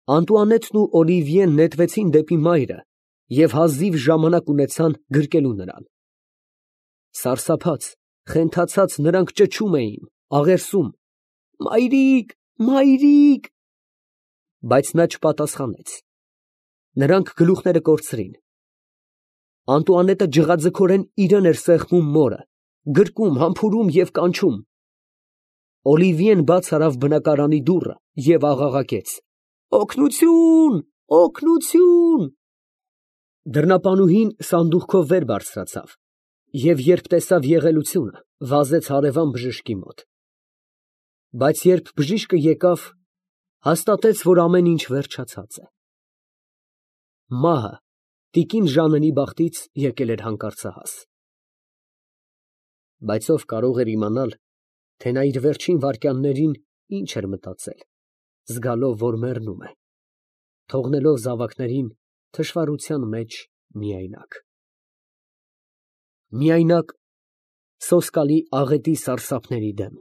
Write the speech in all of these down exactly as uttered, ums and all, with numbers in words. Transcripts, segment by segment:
Անտուանետն ու Օլիվիեն նետվեցին դեպի մայրը և հազիվ ժամանակ ունեցան գրկելու նրան։ Սարսափած, խենթացած նրանք ճչում էին, աղերսում. «Մայրիկ, մայրիկ»։ Բայց նա չպատասխանեց։ Նրանք գլուխները կորցրին։ Անտուանետը ջղաձգորեն իրան էր սեղմում մորը, գրկում, համբուրում և կանչում։ Օլիվիեն բաց արավ բնակարանի դուռը և աղաղակեց. «Օգնությո՛ւն, օգնությո՛ւն»։ Դռնապանուհին սանդուղքով վեր բարձրացավ և, երբ տեսավ եղելությունը, վազեց հարևան բժշկի մոտ։ Բայց երբ բժիշկը եկավ, հաստատեց, որ ամեն ինչ վերջացած է։ Մահը տիկին Ժաննենի բախտից եկել էր հանկարծահաս։ Բայց ով կարող էր իմանալ, թե նա իր վերջին վայրկյաններին ինչ էր մտածել, զգալով, որ մեռնում է, թողնելով զավակներին թշվառության մեջ միայնակ։ Միայնակ սոսկալի աղետի սարսափների դեմ,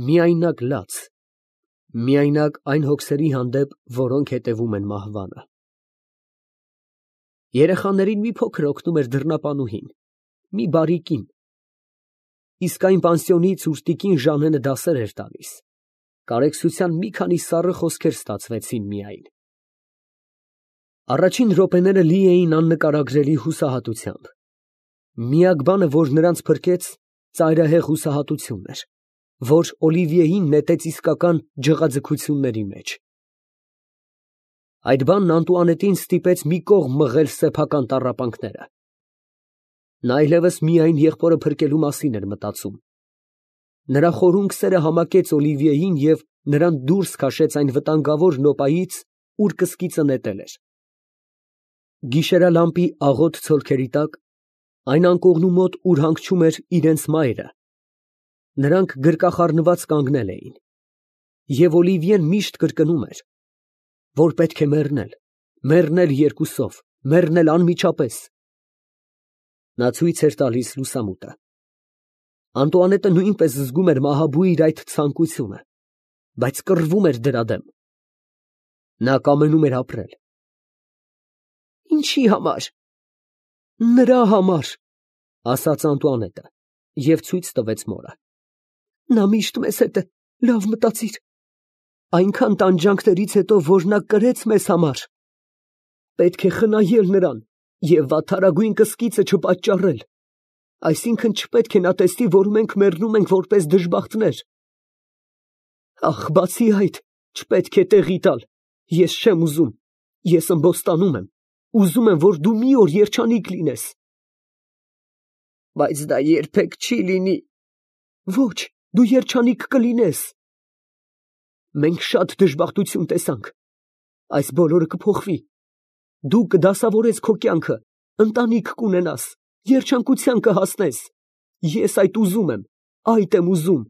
միայնակ լաց, միայնակ այն հոգսերի հանդեպ, որոնք հետևում են մահվանը։ Երեխաներին մի փոքր օգնում էր դռնապանուհին, մի բարի կին, իսկ այն պանսիոնից, ուր տիկին Ժաննենը դասեր էր տալիս, կարեկցության մի քանի սառը խոսքեր ստացվեցին միայն։ Առաջին րոպեները լի էին աննկարագրելի հուսահատությամբ։ Միակ բանը, որ նրանց փրկեց, ծայրահեղ հուսահատությունն էր, որ Օլիվիեին նետեց իսկական ջղաձգությունների մեջ։ Այդ բանն Անտուանետին ստիպեց մի կողմ մղել սեփական տառապանքները։ Նա այլևս միայն եղբորը փրկելու մասին էր մտածում։ Նրա խորունկ սերը համակեց Օլիվիեին և նրան դուրս քաշեց այն վտանգավոր նոպայից, ուր կսկիծը նետել էր։ Գիշերալամպի աղոտ ցոլքերի տակ, այն անկողնու մոտ, ուր հանգչում էր իրենց մայրը, նրանք գրկախառնված կանգնել էին, և Օլիվիեն միշտ կրկնում էր, որ պետք է մեռնել, մեռնել երկուսով, մեռնել անմիջապես։ Նա ցույց էր տալիս լուսամուտը։ Անտուանետը նույնպես զգում էր մահաբույր այդ ցանկությունը, բայց կռվում էր դրա դեմ։ Նա կամենում էր ապրել։ Ինչի համար։ Նրա համար, ասաց Անտուանետը և ցույց տվեց մորը։ Նա միշտ մեզ հետ է, լավ մտածիր, այնքան տանջանքներից հետո, որ նա կրեց մեզ համար, պետք է խնայել նրան և վատթարագույն կսկիծը չպատճառել, այսինքն չպետք է նա տեսնի, որ մենք մեռնում ենք որպես դժբախտներ։ Ախ, բացի այդ, չպետք է տեղի տալ, ես չեմ ուզում, ես ըմբոստանում եմ, ուզում եմ, որ դու մի օր երջանիկ լինես։ Բայց դա երբեք չի լինի։ Ոչ, դու երջանիկ կլինես։ Մենք շատ դժբախտություն տեսանք, այս բոլորը կփոխվի, դու կդասավորես քո կյանքը, ընտանիք կունենաս, երջանկության կհասնես, ես այդ ուզում եմ, այդ եմ ուզում։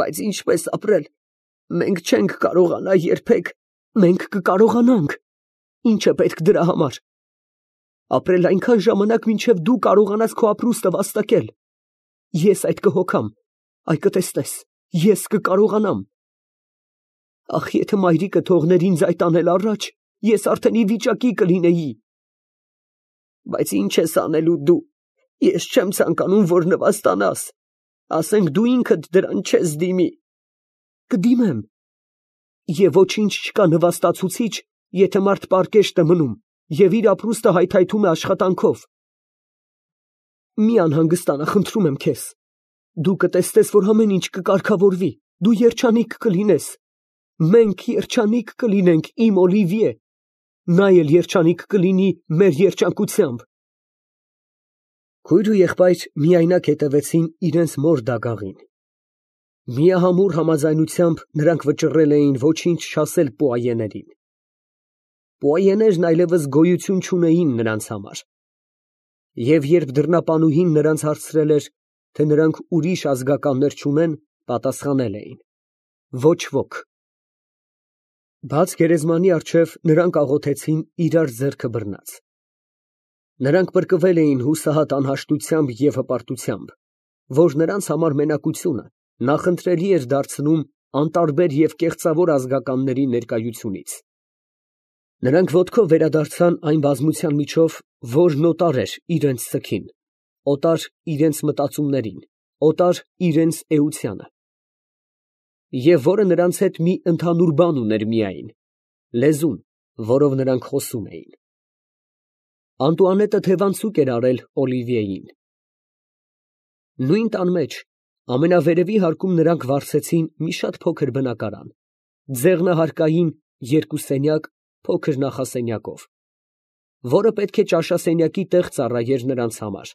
Բայց ինչպես ապրել, մենք չենք կարողանա երբեք, մենք կկարողանանք, ինչ է պետք դրա համար։ Ապրել այնքան ժամանակ, մինչև դու կարողանաս քո ապրուստը վաստակել, ես այդ կհոգամ, այ կտեսնես, ես կկարողանամ։ Ախ, եթե մայրիկը թողներ ինձ այդ անել առաջ, ես արդեն ի վիճակի կլինեի։ Բայց ինչ ես անելու դու, ես չեմ ցանկանում, որ նվաստանաս, ասենք դու ինքդ դրան չես դիմի։ Կդիմեմ։ Եվ ոչինչ չկա նվաստացուցիչ, եթե մարդ պարկեշտ է մնում և իր ապրուստը հայթայթում է աշխատանքով։ Մի անհանգստանա, խնդրում եմ քեզ, դու կտեսնես, որ ամեն ինչ կկարգավորվի, դու երջանիկ կլինես, մենք երջանիկ կլինենք, իմ Օլիվիե, նա էլ երջանիկ կլինի մեր երջանկությամբ։ Քույր ու եղբայր միայնակ հետևեցին իրենց մոր դագաղին։ Միահամուռ համաձայնությամբ նրանք վճռել էին ոչինչ չասել պուայեներին։ Պուայեներն այլևս գոյություն չունեին նրանց համար։ Եվ երբ դռնապանուհին նրանց հարցրել էր, թե նրանք ուրիշ ազգականներ չունեն, պատասխանել էին. ոչ ոք։ Բաց գերեզմանի առջև նրանք աղոթեցին իրար ձեռքը բռնած։ Նրանք պրկվել էին հուսահատ անհաշտությամբ և հպարտությամբ, որ նրանց համար մենակությունը նախընտրելի էր դարձնում անտարբեր և կեղծավոր ազգականների ներկայությունից։ Նրանք ոտքով վերադարձան այն բազմության միջով, որն օտար էր իրենց ձգին, օտար իրենց մտածումներին, օտար իրենց էությանը, և որը նրանց հետ մի ընդհանուր բան ուներ միայն, լեզուն, որով նրանք խոսում էին։ Անտուանետը թևանցուկ էր արել Օլիվիեին։ Նույն տան մեջ, ամենավերևի հարկում նրանք վարձեցին մի շատ փոքր բնակարան, ձեղնահարկային երկու սենյակ փոքր նախասենյակով, որը պետք է ճաշասենյակի տեղ ծառայեր նրանց համար,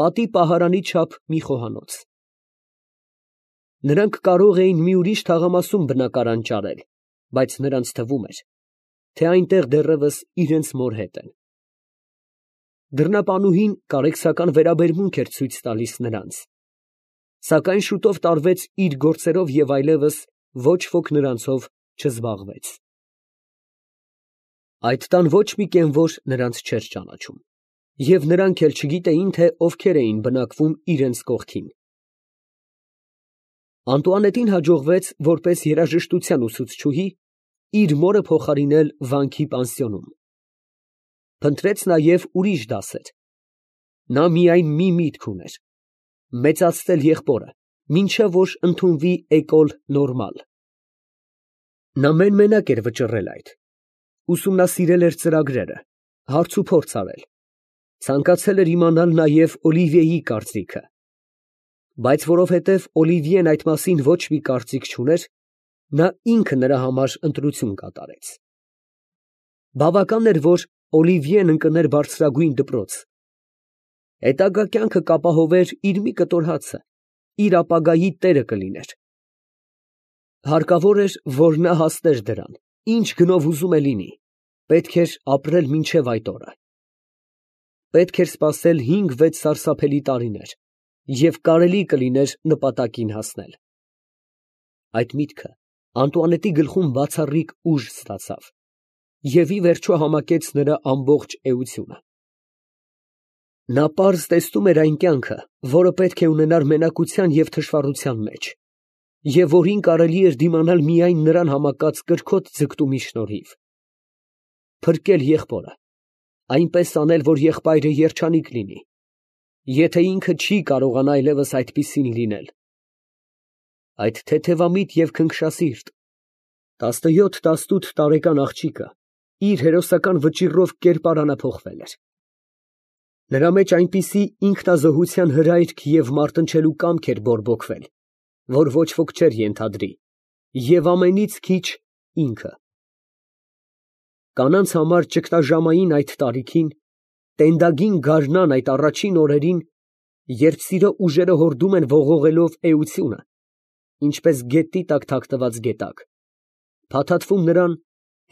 պատի պահարանի չափ մի խոհանոց։ Նրանք կարող էին մի ուրիշ թաղամասում բնակարան ճարել, բայց նրանց թվում էր, թե այնտեղ դեռևս իրենց մոր հետ են։ Դռնապանուհին կարեկցական վերաբերմունք էր ցույց տալիս նրանց, սակայն շուտով տարվեց իր գործերով և այլևս ոչ ոք նրանցով չզբաղվեց։ Այդ տան ոչ մի կենվոր նրանց չէր ճանաչում, և նրանք էլ չգիտեին, թե ովքեր էին բնակվում իրենց կողքին։ Անտուանետին հաջողվեց, որպես երաժշտության ուսուցչուհի, իր մորը փոխարինել վանքի պանսիոնում։ Փնտրեց նաև ուրիշ դասեր։ Նա միայն մի միտք ուներ՝ մեծացնել եղբորը, մինչև որ ընդունվի Էկոլ Նորմալ։ Նա մեն֊մենակ էր վճռել այդ, ուսումնասիրել էր ծրագրերը, հարցուփորձ արել, ցանկացել էր իմանալ նաև Օլիվիեի կարծիքը, բայց որովհետև Օլիվիեն այդ մասին ոչ մի կարծիք չուներ, նա ինքը նրա համար ընտրություն կատարեց։ Բավական էր, որ Օլիվիեն ընկներ բարձրագույն դպրոց, հետագա կյանքը կապահովեր իր մի կտոր հացը, իր ապագայի տերը կլիներ։ Հարկավոր էր, որ նա հասներ դրան, ինչ գնով ուզում է լինի, պետք էր ապրել մինչև այդ օրը։ Պետք էր սպասել հինգ֊վեց սարսափելի տարիներ, և կարելի կլիներ նպատակին հասնել։ Այդ միտքը Անտուանետի գլխում բացառիկ ուժ ստացավ և ի վերջո համակեց նրա ամբողջ էությունը։ Նա պարզ տեսնում էր այն կյանքը, որը պետք է ունենար մենակության և թշվառության մեջ, և որին կարելի էր դիմանալ միայն նրան համակած կրքոտ ձգտումի շնորհիվ։ Փրկել եղբորը, այնպես անել, որ եղբայրը երջանիկ լինի, եթե ինքը չի կարողանա այլևս այդպիսին լինել։ Այդ թեթևամիտ և քնքշասիրտ տասնյոթ֊տասնութ տարեկան աղջիկը իր հերոսական վճիռով կերպարանափոխվել էր։ Նրա մեջ այնպիսի ինքնազոհության հրայք և մարտնչելու կամք էր բորբոքվել, որ ոչ ոք չէր ենթադրի, և ամենից քիչ ինքը։ Կանանց համար ճգնաժամային այդ տարիքին, տենդագին գարնան այդ առաջին օրերին, երբ սիրո ուժերը հորդում են ողողելով էությունը, ինչպես գետի տակ թաքնված գետակ, փաթաթվում նրան,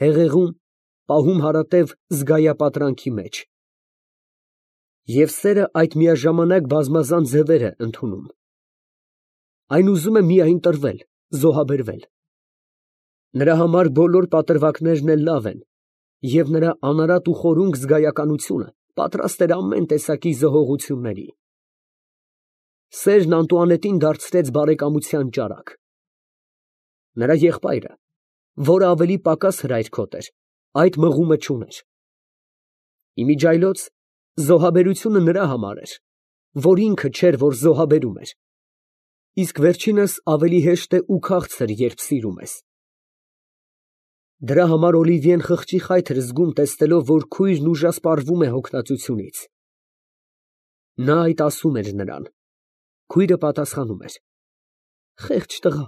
հեղեղում, պահում հարատև զգայապատրանքի մեջ։ Եվ սերը այդ միաժամանակ բազմազան ձևեր է ընդունում. այն ուզում է միայն տրվել, զոհաբերվել։ Նրա համար բոլոր պատրվակներն էլ լավ են, և նրա անարատ ու խորունկ զգայականությունը պատրաստ էր ամեն տեսակի զոհողությունների։ Սերն Անտուանետին դարձրեց բարեկամության ճարակ։ Նրա եղբայրը, որը ավելի պակաս հրայրքոտ էր, այդ մղումը չուներ։ Իմիջիայլոց զոհաբերությունը նրա համար էր, որ ինքը չէր, որ զոհաբերում էր, իսկ վերջինս ավելի հեշտ է ու քաղցր, երբ սիրում ես։ Դրա համար Օլիվիեն խղճի խայթ էր զգում, տեսնելով, որ քույրն ուժասպառվում է հոգնածությունից։ Նա այդ ասում էր նրան։ Քույրը պատասխանում էր. «Խեղճ տղա,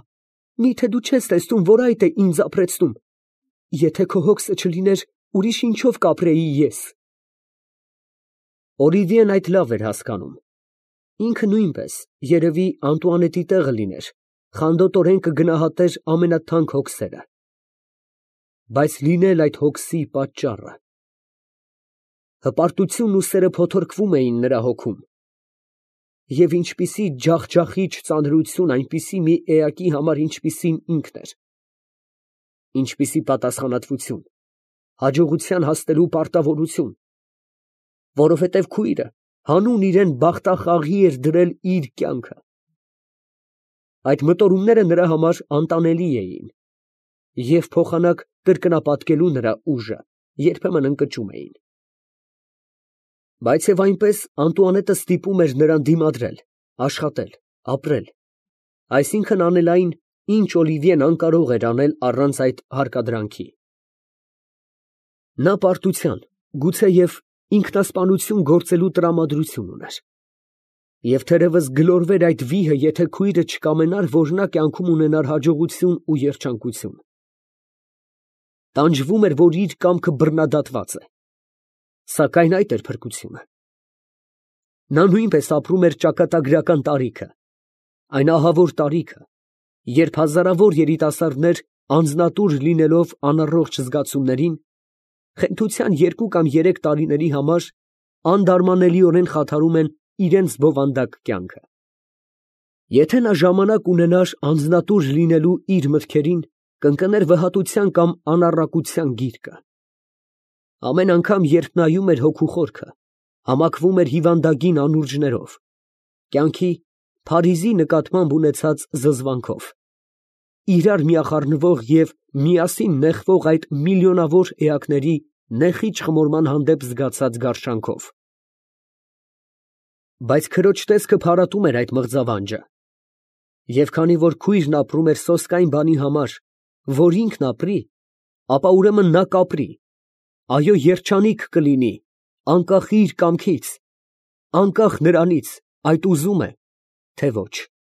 մի՞թե դու չես տեսնում, որ այդ է ինձ ապրեցնում։ Եթե քո հոգսը չլիներ, ուրիշ ինչով կապրեի ես»։ Օլիվիեն այդ լավ էր հասկանում։ Ինքը նույնպես, երևի, Անտուանետի տեղը լիներ, խանդոտորեն կգնահատեր ամենաթանկ հոգսերը։ Բայց լինել այդ հոգսի պատճառը։ Հպարտությունն ու սերը փոթորկվում էին նրա հոգում։ Եվ ինչպիսի ջախջախիչ ծանրություն այնպիսի մի էակի համար, ինչպիսին ինքն էր։ Ինչպիսի պատասխանատվություն, հաջողության հասնելու պարտավորություն, որովհետև քույրը հանուն իրան բախտախաղի էր դրել իր կյանքը։ այդ մտորումները նրա համար անտանելի էին, և փոխանակ կրկնապատկելու նրա ուժը երբեմն ընկճում էին։ Բայց և այնպես Անտուանետը ստիպում էր նրան դիմադրել, աշխատել, ապրել, այսինքն անել այն, ինչ Օլիվիեն անկարող էր անել առանց այդ հարկադրանքի։ Նա պարտության, գուցեև ինքնասպանություն գործելու տրամադրություն ուներ։ Եվ թերևս գլորվեր այդ վիհը, եթե քույրը չկամենար, որ նա կյանքում ունենար հաջողություն ու երջանկություն։ Տանջվում էր, որ իր կամքը բռնադատված է, սակայն այդ էր փրկությունը։ Նա նույնպես ապրում էր ճակատագրական տարիքը, այն ահավոր տարիքը, երբ հազարավոր երիտասարդներ անձնատուր լինելով անառողջ զգացումներին, խենթության երկու կամ երեք տարիների համար անդարմանելիորեն խաթարում են իրենց բովանդակ կյանքը։ Եթե նա ժամանակ ունենար անձնատուր լինելու իր մտքերին, կընկներ վհատության կամ անառակության գիրկը։ Ամեն անգամ, երբ նայում էր հոգու խորքը, համակվում էր հիվանդագին անուրջներով, կյանքի փարիզի նկատմամբ ունեցած զզվանքով, իրար միախառնվող և միասին նեխվող այդ միլիոնավոր էակների նեխիչ խմորման հանդեպ զգացած գարշանքով։ Բայց քրոջ տեսքը փարատում էր այդ մղձավանջը, և քանի որ քույրն ապրում էր սոսկայն բանի համար, որ ինքն ապրի, ապա ուրեմն նա կապրի, այո, երջանիկ կլինի, անկախ իր կամքից, անկախ նրանից այդ ուզում է, թե ոչ։